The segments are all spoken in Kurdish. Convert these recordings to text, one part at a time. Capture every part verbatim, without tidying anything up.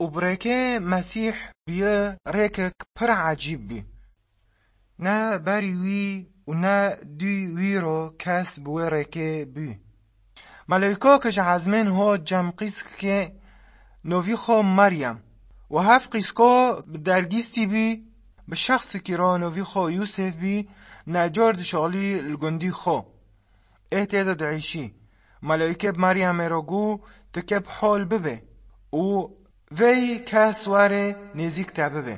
Û bi rêkê Mesîh bûye rêkek pir ecîb bû. Ne berî wî û ne dû wî ro kes bi wê rêkê bû. Meleyko ke ji ezmên ho cem qîskikê novî xo Meryem û hev qîsko bi dergîstî bû, bi şexsikî ro novî xo Yûsef bû, necor dişalî li gundî xo. Ê tê de diêşî. Meleyke bi Meryemê re got, tu ke bi hol bibe û vey kes were nêzîk te bibe.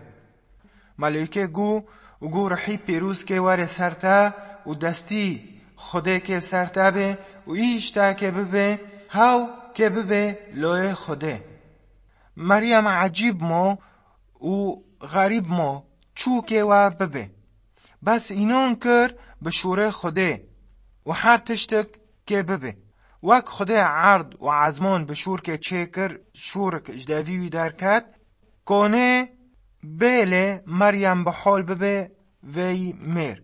Meleyke got, û got, Rihî pîroz ke were ser te û destî Xwedê ke ser te be û îş te ke bibe, hew ke bibe loyê Xwedê. Meryem ecîb mo û xerîb mo çû ke we bibe. Bes înan kir bi şûrê Xwedê û her tiştek kê bibe. Wek Xwedê erd û ezman bi şûr kê çêkir, şûrik ji devî wî derket, konê bêlê Meryem bi hol bibe vey mêr.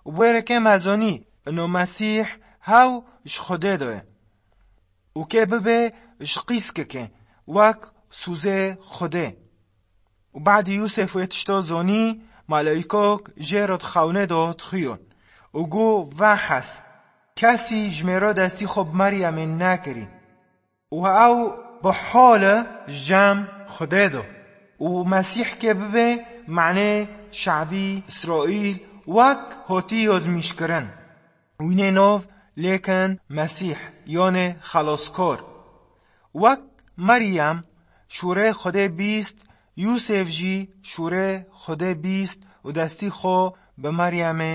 Û wêrekê mezonî ino Mesîh hew ji Xwedê de ye. Û kê bibe ji qîskeke wek sûzê Xwedê. Û badî Yûsef wê tişto zonî, maleykok jê re di xewnê de dixuyon û got, Vehes, kesî ji mêro destî xwe bi Meryemê nekirî. Û ew bi hol e ji cem Xwedê de. Û Mesîh kê bibe manê şabî Îsraîl wek hotî yozmîşkirin. Wînê nov lêkin Mesîh, yanê xelaskor. Wek Meryem şûrê Xwedê bîst, Yûsef jî şûrê Xwedê bîst û destî xwe bi Meryemê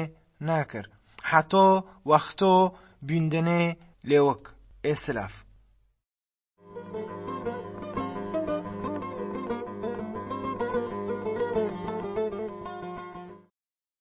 nekir. Heto wexto bîndinê lêwik ê silaf.